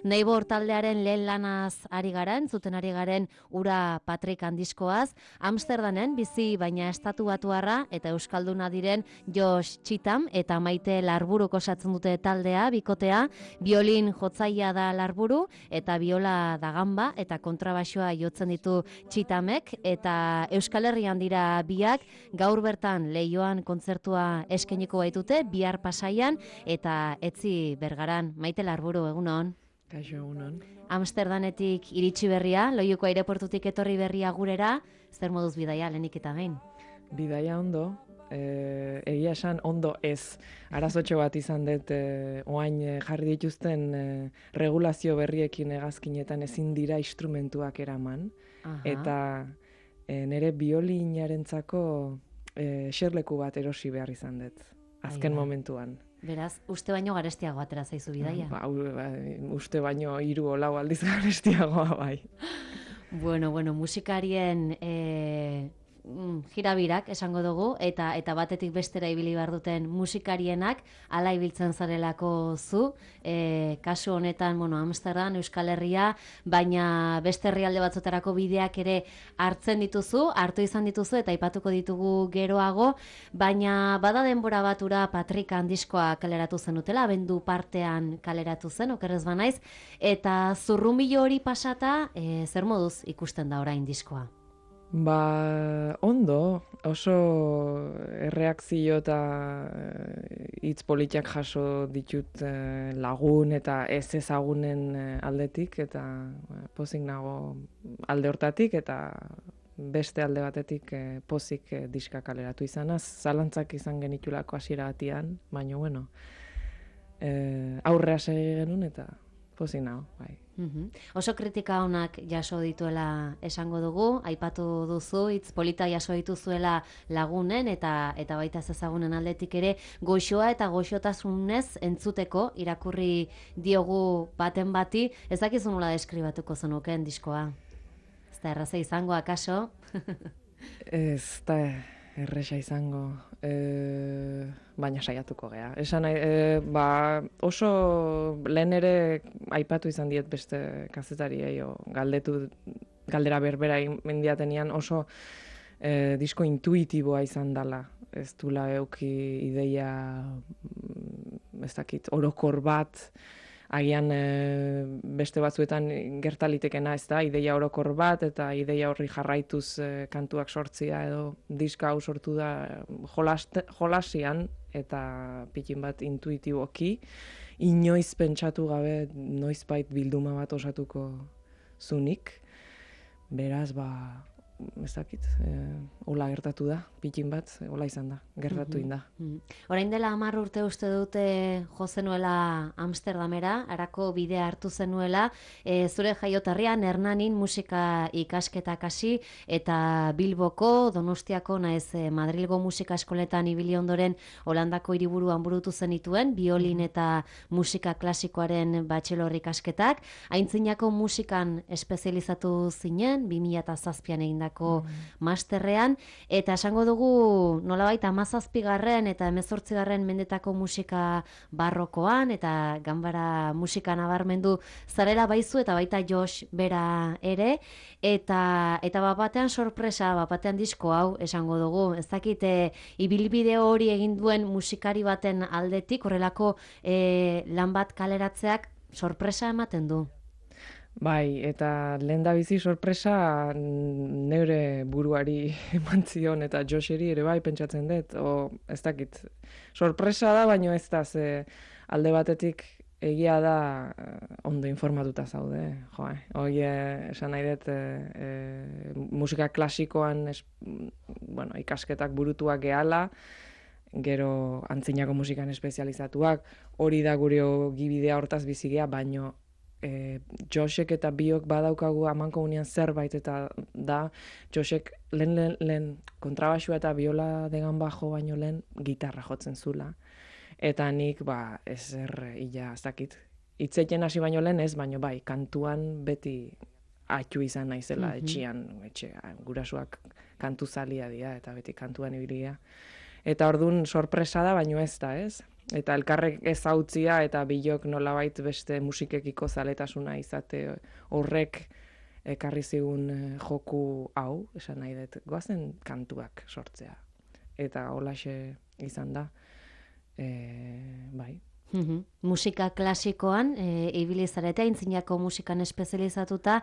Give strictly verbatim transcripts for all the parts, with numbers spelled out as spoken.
Neibor taldearen lehen lanaz ari garen, zuten ari garen Ura Patrik handiskoaz, Amsterdamen bizi baina estatu batuarra eta euskalduna diren Josh Txitam eta Maite Larburuk osatzen dute taldea, bikotea, biolin jotzailea da Larburu eta biola da Gamba eta kontrabaxoa jotzen ditu Txitamek eta Euskal Herrian dira biak, gaur bertan Leioan kontzertua eskainiko baitute, bihar Pasaian eta Etzi Bergaran. Maite Larburu, egunon. Kaixo, egunon. Amsterdanetik iritsi berria, Loiuko aireportutik etorri berria gurera, zer moduz bidaia lehenik eta behin? Bidaia ondo, e, egia esan ondo ez. Arazotxo bat izan dut, e, oain e, jarri dituzten e, regulazio berriekin hegazkinetan ezin dira instrumentuak eraman. Aha. Eta e, nire biolinarentzako e, xerleku bat erosi behar izan dut, azken Ai, momentuan. Beraz, uste baino garestiago atera zaizu bidaia. Ba, u- ba, uste baino hiru o lau aldiz garestiagoa bai. Bueno, bueno, musikarien e, mm, jirabirak esango dugu, eta eta batetik bestera ibili behar duten musikarienak, ala ibiltzen zarelako zu, e, kasu honetan, bueno, Amsterdam, Euskal Herria, baina beste herrialde batzutarako bideak ere hartzen dituzu, hartu izan dituzu, eta aipatuko ditugu geroago, baina bada denbora batura Patrik handiskoa kaleratu zenutela, abendu partean kaleratu zen, okerrez banaiz, eta zurrumilo hori pasata, e, zer moduz ikusten da orain diskoa? Ba, ondo, oso erreakzio eta eh, hitz politak jaso ditut eh, lagun eta ez ezagunen eh, aldetik, eta eh, pozik nago alde hortatik, eta beste alde batetik eh, pozik eh, diska kaleratu izanaz, zalantzak izan genitulako hasiera batian, baina bueno, eh, aurrea segi genuen eta pozik nago, bai. Mhm. Oso kritika onak jaso dituela esango dugu, aipatu duzu, hitz polita jaso dituzuela lagunen eta eta baita ez ezagunen aldetik ere, goxoa eta goxotasunez entzuteko irakurri diogu baten bati, ez dakizu nola deskribatuko zenukeen diskoa. Ez da erraza izango, akaso? Ez da erresa izango, e, baina saiatuko gea. Esan nahi, e, ba, oso lehen ere aipatu izan diet beste kazetariei, o galdetu, galdera berbera mendiatenian oso e, disko intuitiboa izan dela. Ez dula euki ideia, mm, ez dakit, orokor bat, agian e, beste batzuetan gertalitekena, ez da, ideia orokor bat eta ideia horri jarraituz e, kantuak sortzia edo diska hau sortu da jolaste, jolasian eta pikin bat intuitiboki, inoiz pentsatu gabe noizbait bilduma bat osatuko zunik, beraz, ba, ez dakit, e, hola gertatu da, pikin bat, hola izan da, gertatu inda. Orain dela hamar urte uste dute jo zenuela Amsterdamera, harako bidea hartu zenuela, e, zure jaiotarrian Hernanin musika ikasketak hasi eta Bilboko, Donostiako naiz e, Madrilgo musika eskoletan ibili ondoren Holandako hiriburuan burutu zenituen, biolin eta musika klasikoaren bachelor ikasketak, aintzinako musikan espezializatu zinen, bi mila zazpian egindako masterrean, eta esango dugu nolabait hamazazpigarren eta hemezortzigarren mendetako musika barrokoan eta ganbara musika nabarmendu zarela baizu eta baita Josh bera ere, eta eta bat batean sorpresa, bat batean disko hau esango dugu, ez dakite ibilbide hori egin duen musikari baten aldetik, horrelako e, lan bat kaleratzeak sorpresa ematen du. Bai, eta lehen da bizi sorpresa neure buruari eman zion, eta Josheri ere bai pentsatzen dut, o ez dakit, sorpresa da, baino ez da, ze alde batetik egia da ondo informatuta zaude, jo, eh? Hoi, esan nahi dut, e, e, musika klasikoan es, bueno, ikasketak burutuak gehala, gero antzinako musikan espezializatuak, hori da gure gibidea hortaz bizigea, baino E, Joshek eta biok badaukagu amankomunean zerbait, eta da Joshek lehen, lehen, lehen kontrabaxua eta biola degan bajo baino lehen gitarra jotzen zula. Eta nik, ba, ezer illa, ez dakit, hitzeiten hasi baino lehen ez, baino bai, kantuan beti atxu izan naizela, mm-hmm. etxian, etxe, gurasuak kantu zalia dira, eta beti kantuan ibilia. Eta ordun sorpresa da, baino ez da, ez? eta elkarrek ezautzia eta bilok nolabait beste musikekiko zaletasuna izate horrek ekarri zigun joku hau, esan nahi dut, goazen kantuak sortzea. Eta holaxe izan da, e, bai. Mhm. Musika klasikoan, e, ibili zarete, aintzinako musikan espezializatuta,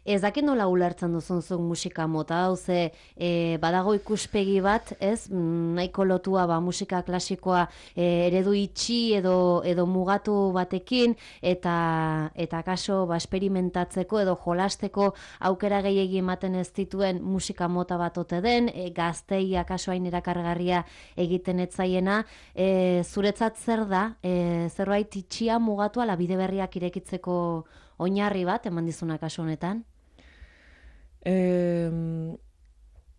ez dakit nola ulertzen duzun zuk musika mota, hau ze e, badago ikuspegi bat, ez, nahiko lotua ba, musika klasikoa e, eredu itxi edo, edo mugatu batekin, eta eta kaso ba, esperimentatzeko edo jolasteko aukera gehiegi ematen ez dituen musika mota bat ote den, e, gaztei akaso hain erakargarria egiten etzaiena, e, zuretzat zer da, e, zerbait itxia mugatu ala bide berriak irekitzeko oinarri bat eman dizuna kasu honetan? E,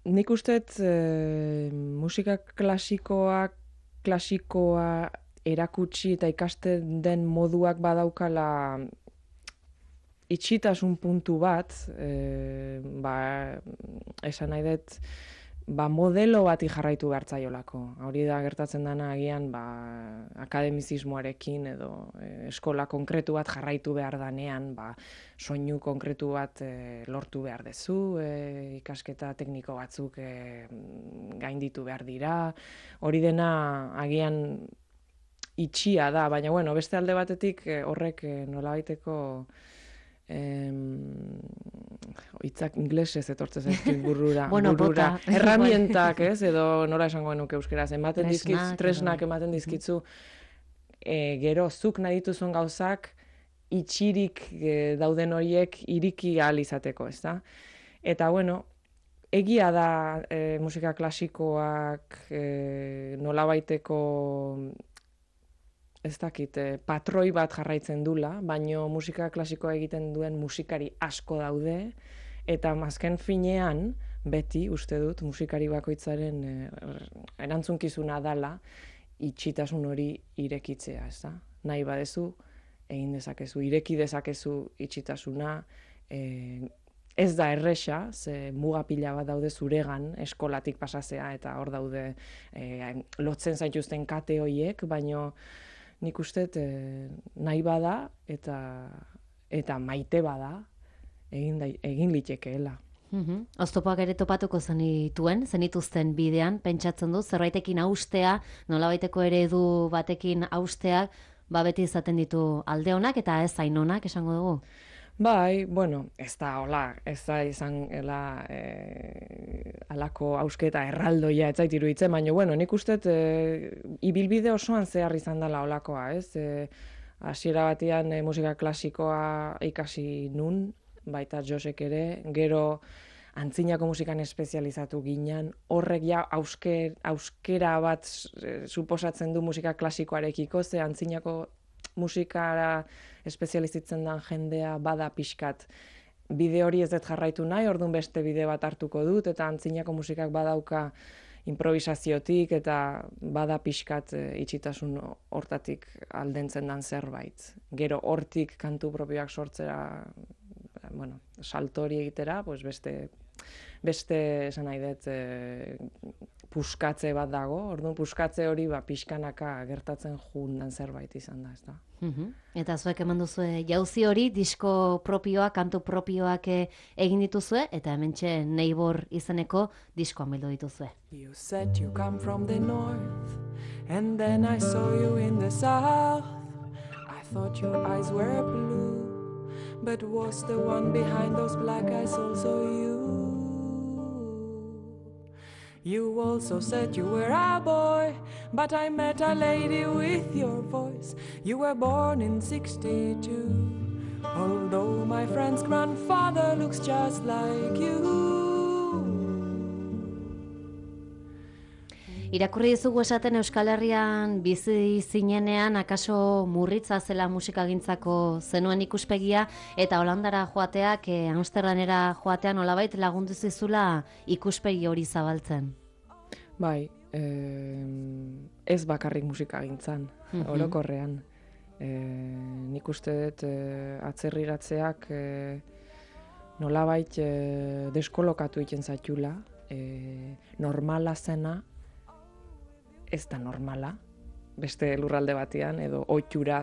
nik usteet e, musika klasikoa klasikoa erakutsi eta ikasten den moduak badaukala itxitasun puntu bat, e, ba, esan nahi dut, ba, modelo bati jarraitu behartzaiolako. Hori da gertatzen dana agian ba, akademizismoarekin edo e, eskola konkretu bat jarraitu behar danean, ba, soinu konkretu bat e, lortu behar dezu, e, ikasketa tekniko batzuk e, gainditu behar dira. Hori dena agian itxia da, baina bueno, beste alde batetik e, horrek e, nolabaiteko Em, hitzak inglesez etortzen zaizkit burrura, bueno, burura. Erramientak, ez, edo nola esango nuke euskeraz, ematen dizkitzu, tresnak ematen dizkitzu, e, gero zuk nahi dituzun gauzak itxirik e, dauden horiek iriki ahal izateko, ez da? Eta bueno, egia da e, musika klasikoak e, nolabaiteko ez dakit, patroi bat jarraitzen dula, baino musika klasikoa egiten duen musikari asko daude, eta azken finean, beti, uste dut, musikari bakoitzaren erantzunkizuna dala, itxitasun hori irekitzea, ez da? Nahi badezu, egin dezakezu, ireki dezakezu itxitasuna, e, ez da erresa, ze muga pila bat daude zuregan, eskolatik pasazea, eta hor daude e, lotzen zaituzten kate horiek, baino nik usteet eh, nahi bada eta eta maite bada egin, da, egin litekeela. Mm-hmm. Oztopoak ere topatuko zenituen, zenituzten bidean, pentsatzen du, zerbaitekin haustea, nolabaiteko eredu batekin haustea, ba beti izaten ditu alde honak eta ez zain honak, esango dugu? Bai, bueno, ez da, hola, ez da izan ela, e, alako hausketa erraldoia ez zait iruditzen, baina, bueno, nik usteet e, ibilbide osoan zehar izan dela holakoa, ez? E, hasiera batean e, musika klasikoa ikasi nun, baita Josek ere, gero antzinako musikan espezializatu ginen, horrek ja hausker, hauskera bat e, suposatzen du musika klasikoarekiko, ze antzinako musikara espezializitzen den jendea bada pixkat. Bide hori ez dut jarraitu nahi, orduan beste bide bat hartuko dut, eta antzinako musikak badauka improvisaziotik, eta bada pixkat e, itxitasun hortatik aldentzen den zerbait. Gero hortik kantu propioak sortzera, bueno, saltori egitera, pues beste, beste esan nahi dut, e, puskatze bat dago, orduan puskatze hori ba, pixkanaka gertatzen jundan zerbait izan da, ez da. Mm-hmm. Eta zuek eman duzue jauzi hori, disko propioak, kantu propioak egin dituzue, eta hementxe Neibor izeneko diskoan bildu dituzue. You said you come from the north, and then I saw you in the south. I thought your eyes were blue, but was the one behind those black eyes also you? You also said you were a boy, but I met a lady with your voice. You were born in sixty-two, although my friend's grandfather looks just like you. Irakurri dizugu esaten Euskal Herrian bizi zinenean akaso murritza zela musikagintzako zenuen ikuspegia, eta Holandara joateak, e, Amsterdamera joatean nolabait lagundu zizula ikuspegi hori zabaltzen. Bai, eh, ez bakarrik musikagintzan, mm-hmm. orokorrean. Eh, nik uste dut eh, atzerriratzeak eh, nolabait eh, deskolokatu egiten zaitula, eh, normala zena, ez da normala, beste lurralde batean, edo ohitura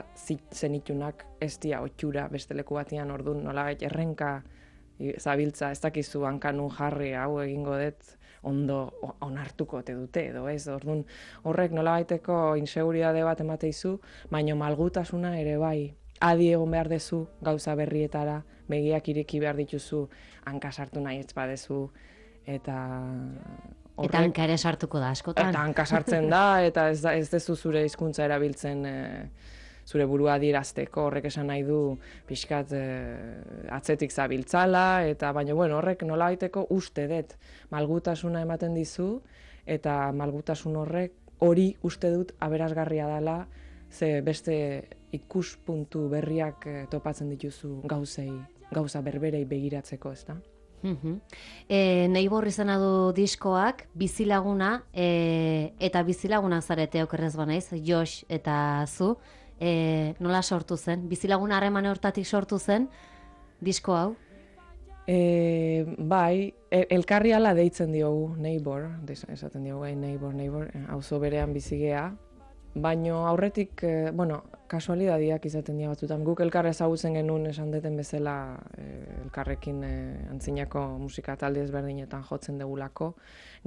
zenitunak ez dira ohitura beste leku batean, orduan nolabait errenka zabiltza, ez dakizu hankanun jarri hau egingo dut, ondo onartuko te dute, edo ez, orduan horrek nolabaiteko inseguridade bat emateizu, baina malgutasuna ere bai, adi egon behar dezu gauza berrietara, begiak ireki behar dituzu, hanka sartu nahi ez badezu, eta horrek... Eta hanka ere sartuko da askotan. Eta hanka sartzen da, eta ez, da, ez dezu zure hizkuntza erabiltzen e, zure burua adierazteko, horrek esan nahi du pixkat e, atzetik zabiltzala, eta baina bueno, horrek nolabaiteko uste dut malgutasuna ematen dizu, eta malgutasun horrek hori uste dut aberasgarria dela, ze beste ikuspuntu berriak e, topatzen dituzu gauzei, gauza berberei begiratzeko, ez da? Uh-huh. E, Neibor izena du diskoak, bizilaguna, e, eta bizilaguna zarete okerrez banaiz, Josh eta zu, e, nola sortu zen? Bizilaguna harreman hortatik sortu zen disko hau? E, bai, elkarri ala deitzen diogu, Neibor, esaten diogu gai, Neibor, Neibor, auzo berean bizigea, baino aurretik, e, bueno, kasualidadiak izaten dira batzutan. Guk elkar ezagutzen genuen esan deten bezala e, elkarrekin e, antzinako musika talde ezberdinetan jotzen degulako.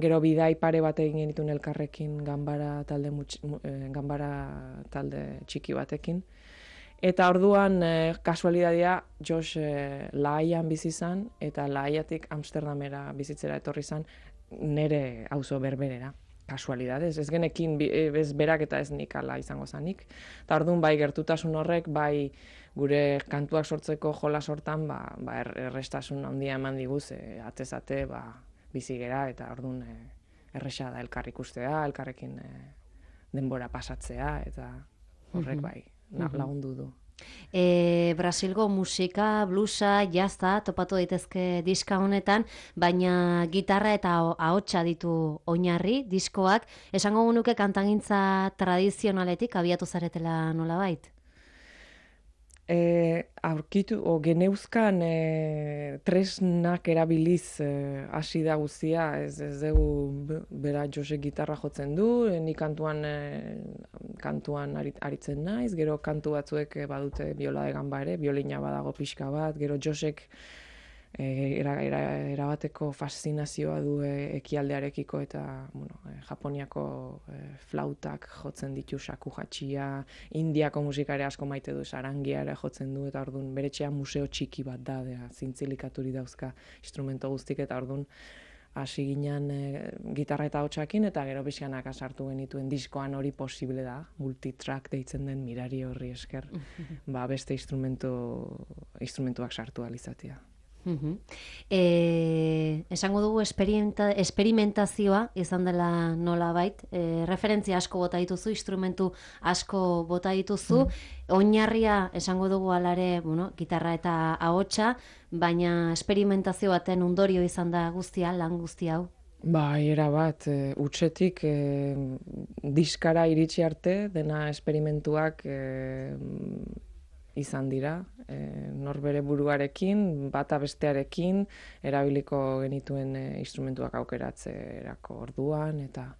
Gero bidai pare bat egin genituen elkarrekin ganbara talde, mutx, e, ganbara talde txiki batekin. Eta orduan e, kasualidadia Josh e, Lahaian bizi izan eta Lahaiatik Amsterdamera bizitzera etorri izan nere auzo berberera. Kasualidades, ez genekin ez berak eta ez nik ala izango zanik. Eta orduan bai gertutasun horrek, bai gure kantuak sortzeko jola sortan, ba, ba errestasun handia eman diguz, e, atezate ba, bizi gera, eta orduan e, erresa da elkar ikustea, elkarrekin e, denbora pasatzea, eta horrek bai, na, lagundu du. E, Brasilgo musika, bluesa, jazta, topatu daitezke diska honetan, baina gitarra eta ahotsa ditu oinarri diskoak. Esango gunuke kantagintza tradizionaletik abiatu zaretela nolabait? E, aurkitu, o geneuzkan e, tresnak erabiliz hasi e, da guztia, ez, ez dugu bera Josek gitarra jotzen du, e, ni kantuan, e, kantuan arit, aritzen naiz, gero kantu batzuek e, badute biola egan ba ere, biolina badago pixka bat, gero Josek e, era, era, erabateko faszinazioa du e, ekialdearekiko eta bueno, e, Japoniako e, flautak jotzen ditu shaku hatxia, Indiako musikare asko maite du, sarangia ere jotzen du, eta orduan bere etxean museo txiki bat da, dea, zintzilikaturi dauzka instrumento guztik, eta orduan hasi ginen e, gitarra eta hotsakin, eta gero pixkanaka sartu genituen diskoan hori posible da, multitrack deitzen den mirari horri esker, ba, beste instrumentu, instrumentuak sartu alizatea. Uh-huh. E, esango dugu esperimentazioa izan dela nolabait, e, referentzia asko bota dituzu, instrumentu asko bota dituzu, mm. oinarria esango dugu alare, bueno, gitarra eta ahotsa, baina esperimentazio baten ondorio izan da guztia, lan guzti hau. Bai, era bat, e, utxetik e, diskara iritsi arte, dena esperimentuak e, izan dira, e, norbere buruarekin, bata bestearekin, erabiliko genituen e, instrumentuak aukeratzerako orduan, eta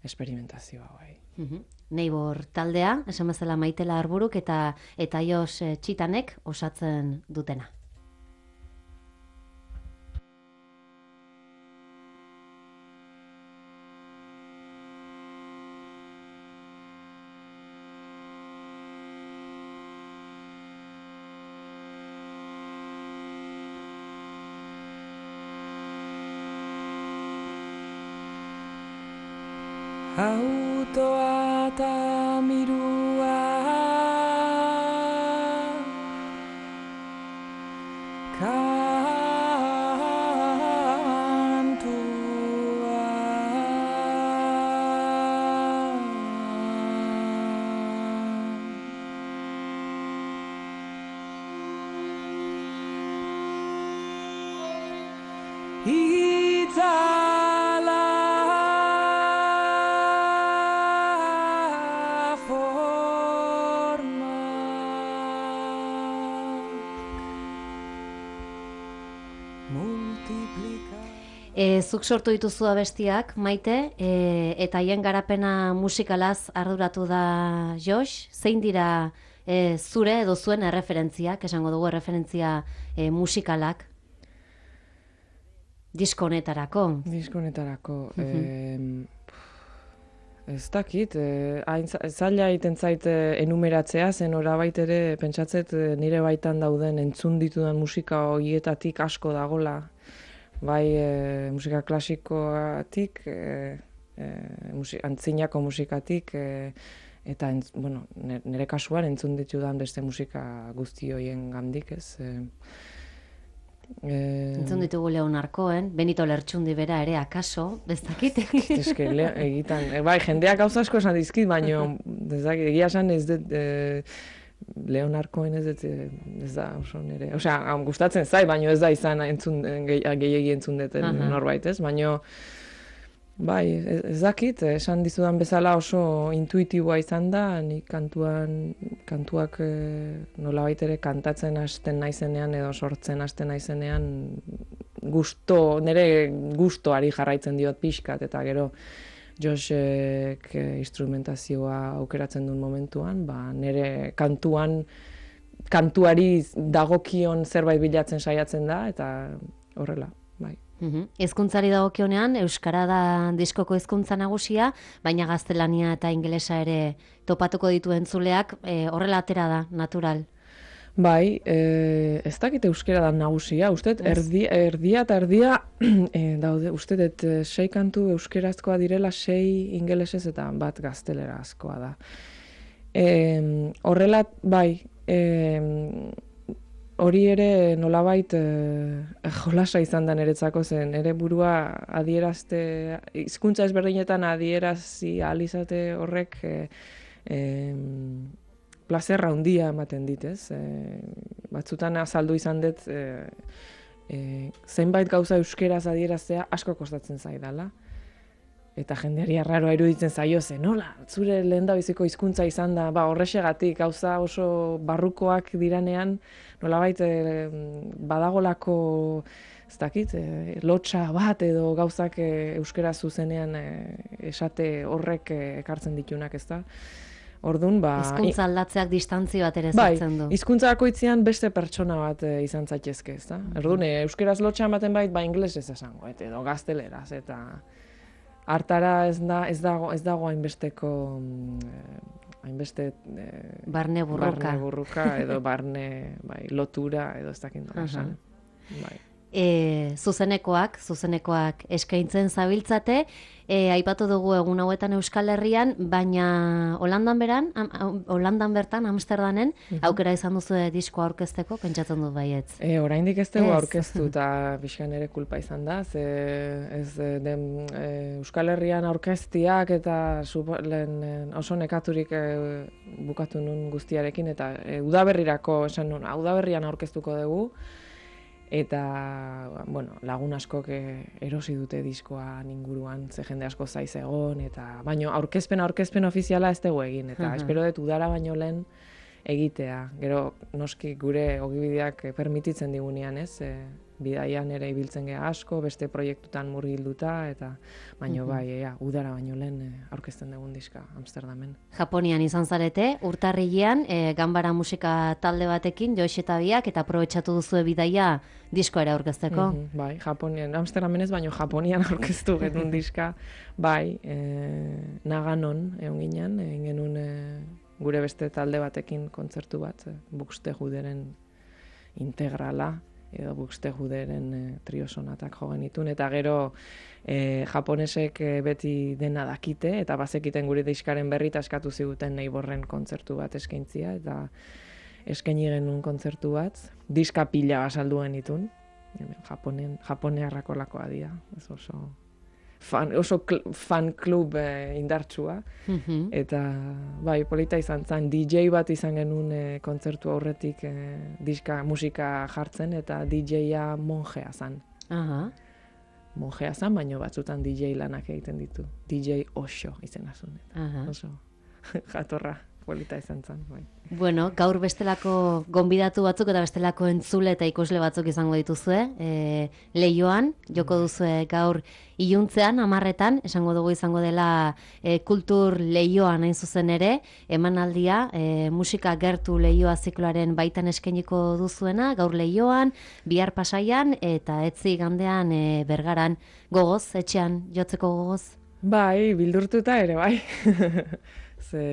esperimentazioa bai. Uh-huh. Neibor taldea, esan bezala Maitela Arburuk eta eta Jos e, Txitanek osatzen dutena. Autoa eta mirua kantua itzala E, zuk sortu dituzu abestiak, Maite, e, eta haien garapena musikalaz arduratu da Josh. Zein dira e, zure edo zuen erreferentziak, esango dugu erreferentzia e, musikalak? Disko honetarako. Disko honetarako. Uh-huh. eh, ez dakit, eh, hain za- zaila egiten zait eh, enumeratzea, zen orabait ere pentsatzet eh, nire baitan dauden entzun ditudan musika horietatik asko dagola. Bai eh, musika klasikoatik, eh, eh, musi- antzinako musikatik, eh, eta entz, bueno, nire, nire kasuan entzun ditudan beste musika guzti horien gandik, ez. Eh, eh, Entzun ditugu Leon Arkoen, Benito Lertxundi bera ere, akaso, ez dakit. Eske, le, egitan, e, bai, jendeak gauza asko esan dizkit, baina ez dakit, egia esan ez dut, e, Leon Arkoen ez dut, e, ez da oso nire, osea, am, gustatzen zai, baina ez da izan entzun, gehiagi entzun duten Aha. norbait, ez, baina bai, ez, ez dakit, esan dizudan bezala oso intuitiboa izan da, nik kantuan, kantuak e, nolabait ere kantatzen hasten naizenean edo sortzen hasten naizenean gusto, nire gustoari jarraitzen diot pixkat, eta gero Joshek e, instrumentazioa aukeratzen duen momentuan, ba, nire kantuan kantuari dagokion zerbait bilatzen saiatzen da, eta horrela, bai. Mhm. Hizkuntzari dagokionean euskara da diskoko hizkuntza nagusia, baina gaztelania eta ingelesa ere topatuko ditu entzuleak, e, horrela atera da, natural. Bai, e, ez dakit euskera da nagusia, uste, erdi, erdia eta erdia, e, daude, uste, dut, e, sei kantu euskerazkoa direla, sei ingelesez eta bat gaztelerazkoa da. E, horrela, bai, e, hori ere nolabait e, jolasa izan da niretzako zen, ere burua adierazte, hizkuntza ezberdinetan adierazi ahal izate horrek e, e, plazerra handia ematen dit, ez? E, batzutan azaldu izan dut e, e, zenbait gauza euskeraz adieraztea asko kostatzen zaidala. Eta jendeari arraroa iruditzen zaio zen, nola, zure lehendabiziko hizkuntza izan da, ba, horrexegatik, gauza oso barrukoak diranean, nolabait e, badagolako, ez dakit, e, lotsa bat edo gauzak e, euskera zuzenean e, esate horrek e, ekartzen ditunak, ez da? Orduan, ba... Hizkuntza aldatzeak distantzio bat ere bai, zertzen du. hizkuntza bakoitzean beste pertsona bat e, izan zaitezke, ez da? Orduan, e, euskeraz lotsa ematen bait, ba, ingelesez esango, et, edo gazteleraz, eta... Hartara ez, da, ez, dago, ez dago hainbesteko, mm, hainbeste... Eh, barne burruka. Barne burruka, edo barne bai, lotura, edo ez dakit nola esan. Bai. E, zuzenekoak, zuzenekoak eskaintzen zabiltzate, e, aipatu dugu egun hauetan Euskal Herrian, baina Holandan beran, am, am, Holandan bertan, Amsterdamen, aukera izan duzu diskoa aurkezteko, pentsatzen dut baietz. E, oraindik ez dugu Ez. aurkeztu, eta pixkan ere kulpa izan da, ze ez e, den e, Euskal Herrian aurkeztiak eta supo, lehen, e, oso nekaturik e, bukatu nun guztiarekin, eta e, udaberrirako esan nun, udaberrian aurkeztuko dugu, eta bueno, lagun askok erosi dute diskoa inguruan, ze jende asko zaiz egon, eta baino aurkezpen aurkezpen ofiziala ez dugu egin, eta Aha. espero dut udara baino lehen egitea. Gero noski gure ogibideak permititzen digunean, ez? E, bidaian ere ibiltzen gea asko, beste proiektutan murgilduta, eta baino bai, ea, udara baino lehen e, aurkezten dugun diska Amsterdamen. Japonian izan zarete, urtarrilean, e, ganbara musika talde batekin, Josh eta biak, eta aprobetxatu duzue bidaia diskoa ere aurkezteko. Mhm, bai, Japonian, Amsterdamen ez, baino Japonian aurkeztu genuen diska, bai, e, Naganon egon ginen, egin genuen e, gure beste talde batekin kontzertu bat, e, Buxtehuderen integrala, edo Buxtehuderen e, trio sonatak jo genitun, eta gero e, japonesek e, beti dena dakite, eta bazekiten gure diskaren berri eta eskatu ziguten Neighborren kontzertu bat eskaintzia, eta eskaini genuen kontzertu bat, diska pila basaldu genitun, Japonen, japonearrako lakoa dira, ez oso fan, oso kl, fan klub e, indartsua, Mhm. eta bai, polita izan zen, D J bat izan genuen e, kontzertu aurretik e, diska musika jartzen, eta D J-a monjea zen. Aha. Monjea zen, baino batzutan D J lanak egiten ditu. D J Osho izena zuen. Aha. Oso jatorra polita izan zen, bai. Bueno, gaur bestelako gonbidatu batzuk eta bestelako entzule eta ikusle batzuk izango dituzue. E, Leioan, joko duzue gaur iluntzean, amarretan, esango dugu izango dela e, kultur Leioan hain zuzen ere, emanaldia, e, musika gertu Leioa zikloaren baitan eskainiko duzuena, gaur Leioan, bihar Pasaian eta etzi igandean e, Bergaran, gogoz, etxean, jotzeko gogoz? Bai, bildurtuta ere, bai. Ze...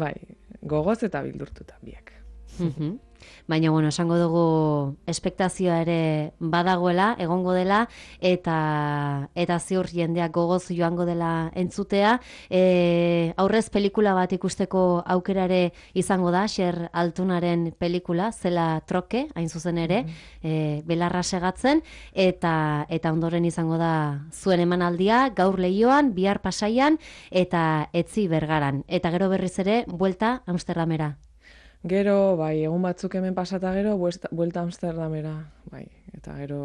Bai, gogoz eta bildurtuta biak. Mhm. Baina, bueno, esango dugu espektazioa ere badagoela, egongo dela, eta eta ziur jendeak gogoz joango dela entzutea. E, aurrez pelikula bat ikusteko aukerare izango da, Xer Altunaren pelikula, Zela Troke, hain zuzen ere, e, belarra segatzen, eta eta ondoren izango da zuen emanaldia, gaur Leioan, bihar Pasaian, eta etzi Bergaran. Eta gero berriz ere, buelta Amsterdamera. Gero, bai, egun batzuk hemen pasata gero, buesta, buelta Amsterdamera, bai, eta gero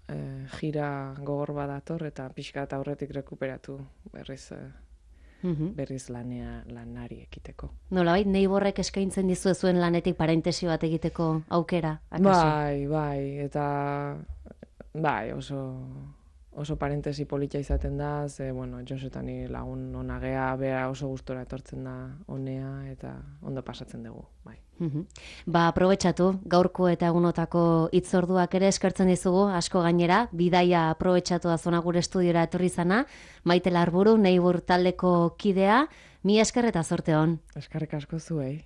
eh, jira gogor badator, eta pixka eta aurretik rekuperatu berriz, eh, Mhm. berriz lanea, lanari ekiteko. Nolabait, Neighborrek eskaintzen dizue zuen lanetik parentesi bat egiteko aukera, akaso? Bai, bai, eta bai, oso oso parentesi polita izaten da, ze, bueno, Josetan ni lagun onagea, bera oso gustora etortzen da honea, eta ondo pasatzen dugu, bai. Mhm. Ba, aprobetxatu, gaurko eta egunotako hitzorduak ere eskertzen dizugu, asko gainera, bidaia aprobetxatu da zona gure estudiora etorri zana, Maite Larburu, Neighbor taldeko kidea, mi esker eta zorte hon. Eskerrik asko zuei.